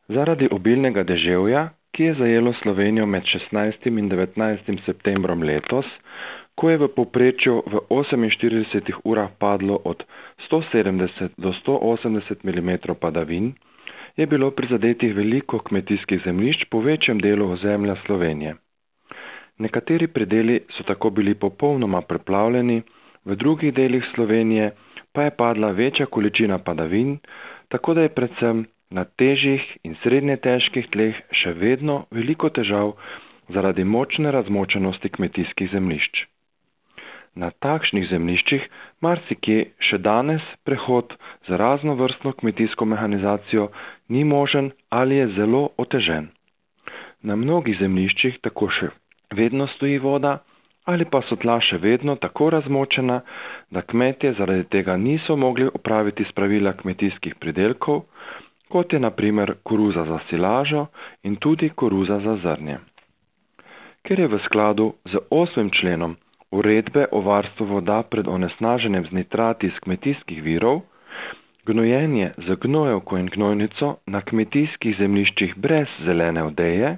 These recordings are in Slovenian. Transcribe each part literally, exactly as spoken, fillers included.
Zaradi obilnega deževja, ki je zajelo Slovenijo med šestnajstim in devetnajstim septembrom letos, ko je v povprečju v oseminštiridesetih urah padlo od sto sedemdeset do sto osemdeset milimetrov padavin, je bilo prizadetih veliko kmetijskih zemljišč po večjem delu ozemlja Slovenije. Nekateri predeli so tako bili popolnoma preplavljeni, v drugih delih Slovenije pa je padla večja količina padavin, tako da je predvsem na težjih in srednje težkih tleh še vedno veliko težav zaradi močne razmočenosti kmetijskih zemljišč. Na takšnih zemljiščih marsikje še danes prehod z raznovrstno kmetijsko mehanizacijo ni možen ali je zelo otežen. Na mnogih zemljiščih tako še vedno stoji voda ali pa so tla še vedno tako razmočena, da kmetje zaradi tega niso mogli opraviti spravila kmetijskih pridelkov, kot je na primer koruza za silažo in tudi koruza za zrnje. Ker je v skladu z osmim členom Uredbe o varstvu voda pred onesnaženjem z nitrati iz kmetijskih virov, gnojenje z gnojevko in gnojnico na kmetijskih zemljiščih brez zelene odeje,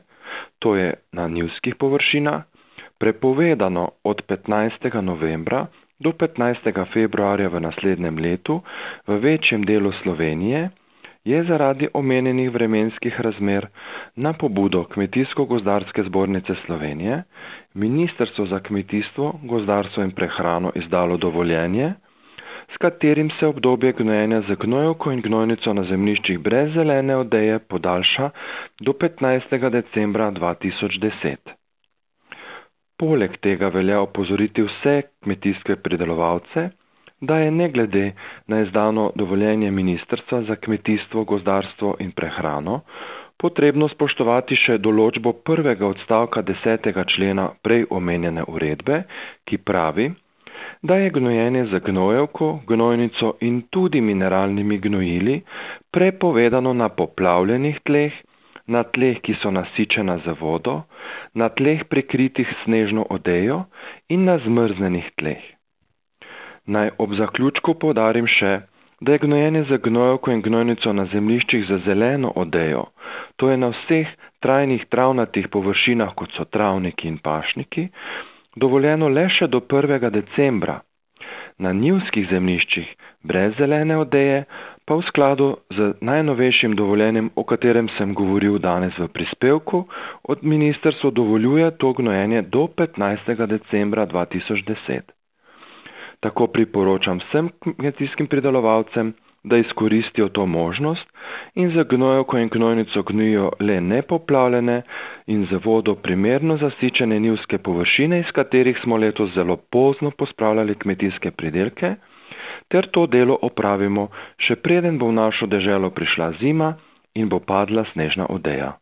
to je na njivskih površinah, prepovedano od petnajstega novembra do petnajstega februarja v naslednjem letu v večjem delu Slovenije, je zaradi omenjenih vremenskih razmer na pobudo Kmetijsko-gozdarske zbornice Slovenije Ministrstvo za kmetijstvo, gozdarstvo in prehrano izdalo dovoljenje, s katerim se obdobje gnojenja z gnojevko in gnojnico na zemljiščih brez zelene odeje podaljša do petnajstega decembra dva tisoč deset. Poleg tega velja opozoriti vse kmetijske pridelovalce, da je ne glede na izdano dovoljenje Ministrstva za kmetijstvo, gozdarstvo in prehrano potrebno spoštovati še določbo prvega odstavka desetega člena prej omenjene uredbe, ki pravi, da je gnojenje z gnojevko, gnojnico in tudi mineralnimi gnojili prepovedano na poplavljenih tleh, na tleh, ki so nasičena z vodo, na tleh prekritih snežno odejo in na zmrznjenih tleh. Naj ob zaključku poudarim še, da je gnojenje z gnojevko in gnojnico na zemljiščih z zeleno odejo, to je na vseh trajnih travnatih površinah, kot so travniki in pašniki, dovoljeno le še do prvega decembra. Na njivskih zemljiščih brez zelene odeje pa v skladu z najnovejšim dovoljenjem, o katerem sem govoril danes v prispevku, od ministrstva dovoljuje to gnojenje do petnajstega decembra dva tisoč deset. Tako priporočam vsem kmetijskim pridelovalcem, da izkoristijo to možnost in z gnojevko in gnojnico gnojijo le nepoplavljene in z vodo primerno zasičene njivske površine, iz katerih smo letos zelo pozno pospravljali kmetijske pridelke, ter to delo opravimo, še preden bo v našo deželo prišla zima in bo padla snežna odeja.